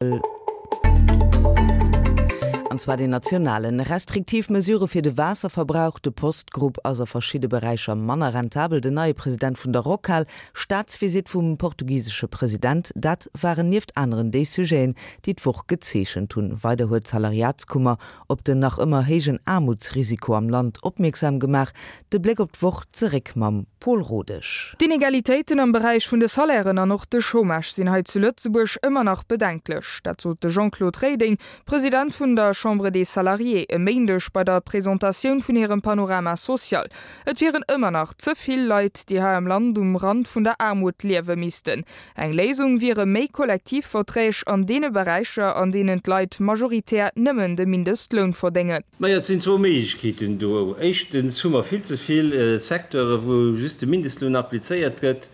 An zwar den nationalen. Restriktiv Mesurë fir de Waasserverbrauch, de Post-Grupp ass a verschidde Beräicher manner rentabel, den neie President vun der Rockhal, Staatsvisitt vum portugisesche President, dat waren nieft aneren déi Sujeten, déi d'Woch gezeechent hunn. Weider huet d'Salariatskummer op den nach ëmmer héijen Aarmutsrisiko am Land opmierksam gemaach. De Bléck op d'Woch zeréck mam Paul Rodesch. D'Inegalitéiten am Beräich vun de Salairen an och de Chômage sinn hei zu Lëtzebuerg ëmmer nach bedenklech. Dat sot de Jean-Claude Reding, President vun der Chambre des Salariés, e Méindeg bei der Presentatioun vun hirem Panorama social. Et wieren ëmmer nach ze vill Leit, déi hei am Land um Rand vun der Aarmut liewe missten. Eng Léisung wiere méi Kollektivverträg an deene Beräicher, an deenen d'Leit majoritär nëmmen de Mindestloun verdéngen. Majo, et sinn zwou Méiglechkeeten do. Éischtens hu mer vill ze vill Secteure wou just de Mindestloun applizéiert gëtt,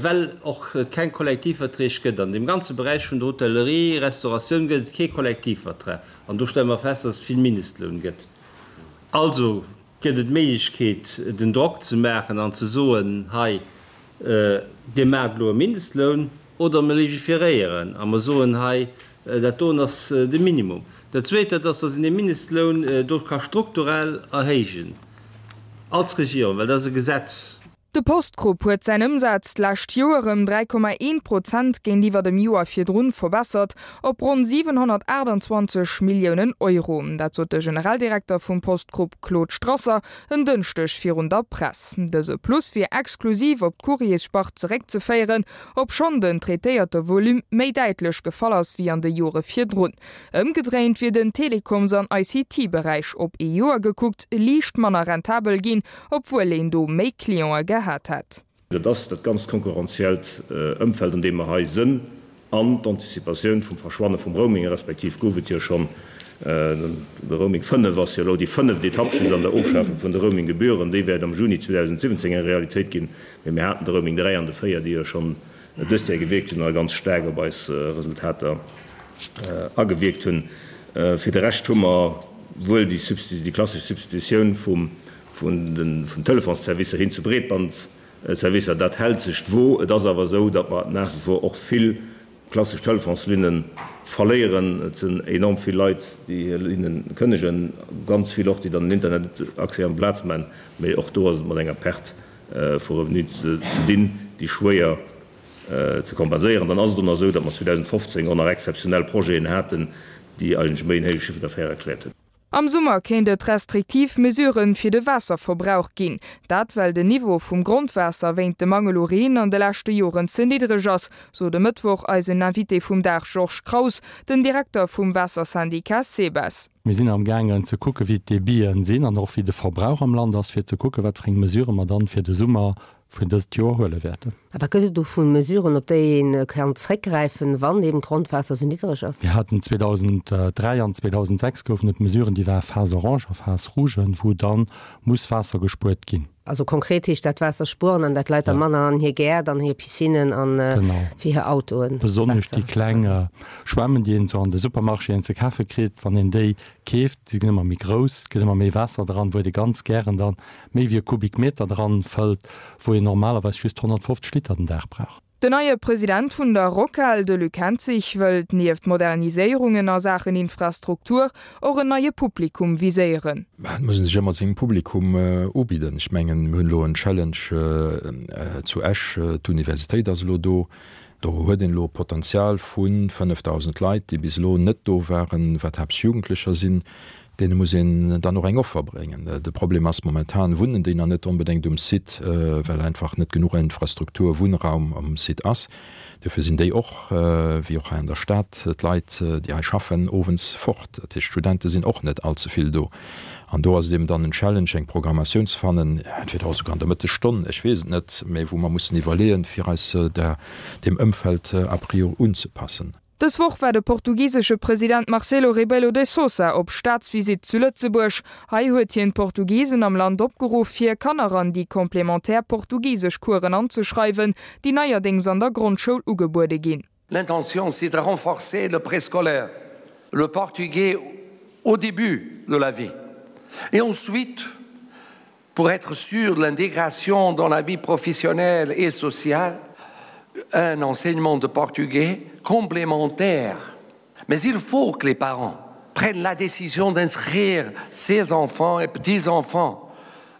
well och et keng Kollektivverträg gëtt. An deem ganze Beräich vun der Hotellerie, Restauratioun gëtt et kee Kollektivvertrag. An do stelle mer fest, dass et vill Mindestloun gëtt. Also Gëtt et d'Méiglechkeet, den Drock ze maachen an ze soen, hei, Dir maacht elo e Mindestloun, oder mer legiferéieren a mer soen, hei, dat doen ass de Minimum. Dat Zweet, dat ass, datt een dee Mindestloun do ka strukturell erhéijen als Regierung, well dat ass e Gesetz. De Post-Group huet säin Ëmsaz d'lescht Joer ëm 3,1 Prozent géintiwwer dem Joer virdrun verbessert, op ronn 728 Milliounen Euro. Dat sot de Generaldirekter vum Post-Group Claude Strasser en Dënschdeg virun der Press. Dëse Plus wier exklusiv op d'Courriersspart zeréckzeféieren, obschonn den traitéierte Volume méi däitlech gefall ass wéi an de Jore virdrun. Ëmgedréint wier den Telekoms an ICT-Beräich op ee Joer gekuckt liicht manner rentabel ginn, obwuel een do méi Clientë gehat hätt. Dat ass dat ganzt konkurrenziellt Ëmfeld, an deem mer hei sënn, an d'Anticipatioun vum Verschwanne vum Roaming, respektiv gouf et jo schonn, de Roaming 5 ass jo elo déi fënneft Etapp just an der Ofschafung vun de Roaming-Gebühren, déi wäert am Juni 2017 eng Realitéit ginn, mee mir haten de Roaming 3 an de 4, déi jo schonn dëst Joer gewierkt hunn a ganz staark op eis Resultater agewierkt hunn. Fir de Rescht hu mer wuel déi klassesch Substitutioun vun den Telefonsservicer hin zu Breetbandservicer. Dat hält sech d'Wo. Et ass awer esou, datt mer nach wie vor och vill klassesch Telefonslinne verléieren. Et sinn enorm vill Leit, déi hir Linne kënnegen, ganz vill och, déi dann den Internetaccès amplaz maachen. Mee och do ass et mat enger Perte vu Revenu ze dinn, déi schwéier ze kompenséieren. Dann ass et och nach esou, datt mer 2015 och nach exzeptionell Projeten haten, déi eigentlech méi en héije Chiffre d'affaires erkläert hunn. Am Summer kéint et restriktiv Mesurë fir de Waasserverbrauch ginn. Dat well den Niveau vum Grondwaasser wéint dem Mangel u Reen an de leschte Joren ze niddreg ass, sot e Mëttwoch eisen Invité vum Dag Georges Kraus, den Direkter vum Waassersyndicat SEBES. Mir sinn am gaangen ze kucke wéi d'Debiten sinn an och wéi de Verbrauch am Land ass, fir ze kucke wat fir eng Mesurë mer dann fir de Summer vun dëst Joer huele wäerten. A wat gëtt et do vu Mesuren, op déi ee kann zréckgräifen, wann eben d'Grondwaasser esou niddereg ass? Mir haten 2003 an 2006 goufen et Mesuren, déi ware Phase orange a Phase rouge, wou da muss Waasser gespuert ginn. Also konkret heescht dat Waasser spueren an dat Leit da manner an hir Gäert, an hir Piscinnen an fir hir Autoen. Besonnesch déi kleng Schwämmen, déi een esou an de Supermarchéen ze kafe kritt, wann een déi keeft, déi ginn ëmmer méi grouss, et gëtt ëmmer méi Waasser dran, wou et ee ganz gären dann méi wéi e Kubikmeter dran fëllt, wou een normalerweis just 150 Liter den Dag brauch. Den neie President vun der Rockhal, de Luc Henzig, wëllt nieft Moderniséierungen a Saachen Infrastruktur och en neie Publikum viséieren. Mä et muss ee sech ëmmer sengem Publikum ubidden. Ech mengen, mir hunn elo en Challenge zu Esch, d'Universitéit ass elo do. Do huet een elo e Potenzial vu 5.000 Leit, déi bis elo net do waren, wat haaptsächlech Jugendlecher sinn. Deene muss een dann och eng Offer bréngen. De Problem ass, momentan wunnen déi nach net onbedéngt um Site, well einfach net genuch Infrastruktur, Wunnraum um Site ass. Dofir sinn déi och, wéi och hei an der Stad, d'Leit, déi hei schaffen, owends fort. Dat heescht, d'Studente sinn och net all ze vill do. An do ass et eben dann en Challenge, eng Programmatioun ze fannen, entweder och esouguer an der Mëttesstonn, ech weess et net, mä wou mer mussen iwwerleeën, fir eis der, deem Ëmfeld a priori unzepassen. Dës Woch war de portugisesche President Marcelo Rebelo de Sousa op Staatsvisitt zu Lëtzebuerg. Hei huet hien d'Portugisen am Land opgeruff, hir Kanner an déi complémentaire portugisesch Coursen anzeschreiwen, déi neierdéngs an der Grondschoul ugebuede ginn. L'intention, c'est de renforcer le préscolaire, le portugais au début de la vie et ensuite pour être sûr de l'intégration dans la vie professionnelle et sociale, un enseignement de portugais complémentaire. Mais il faut que les parents prennent la décision d'inscrire ses enfants et petits-enfants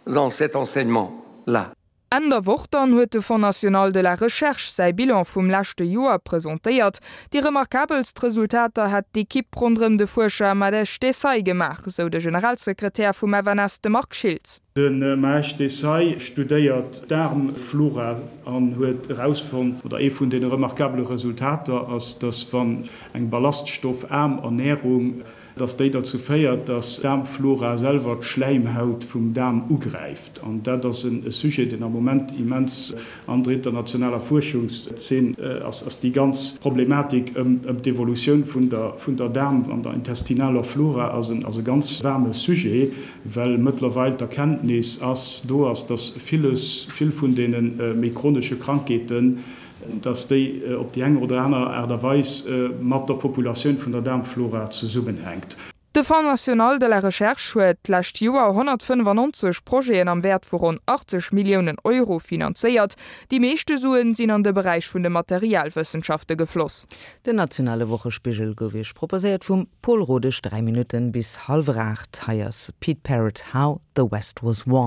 dans cet enseignement-là. Enn der Woch dann huet de Fonds national de la recherche säi Bilan vum leschte Joer presentéiert. Déi remarkabelst Resultater hätt d'Ekipp ronderëm de Fuerscher Mahesh Desai gemaach, sou de Generalsekretär vum FNS, de Marc Schiltz. De Mahesh Desai studéiert d'Daarmflora an huet erausfonnt, oder ee vun deene remarkabele Resultater ass, datt wann eng ballaststoffaarm Ernärung dass déi derzou féiert, dass d'Daarmflora selwer d'Schläimhaut vum Daarm ugräift. An dat ass e Sujet, deen am Moment immens an der internationaler Fuerschungszeen ass, ass déi ganz Problematik ëm d'Evolutioun vun der vun der Daarm an der intestinaler Flora ass en ass e ganz waarme Sujet, well mëttlerweil d'Erkenntnis ass do ass, dass villes, vill vun deene méi chronesche Krankheeten, dass déi op déi eng oder aner Aart a Weis mat der Populatioun vun der Daarmflora zesummenhänkt. De Fonds national de la recherche huet d'lescht Joer 195 Projeten am Wäert vu ronn 80 Milliounen Euro finanzéiert. Déi meeschte Suen sinn an de Beräich vun de Materialwëssenschafte gefloss. Den nationale Wochespigel gouf Iech proposéiert vum Pol Rodesch. 3 Minutten bis hallwer 8. Hei ass Pete Parrott, How the West Was Won.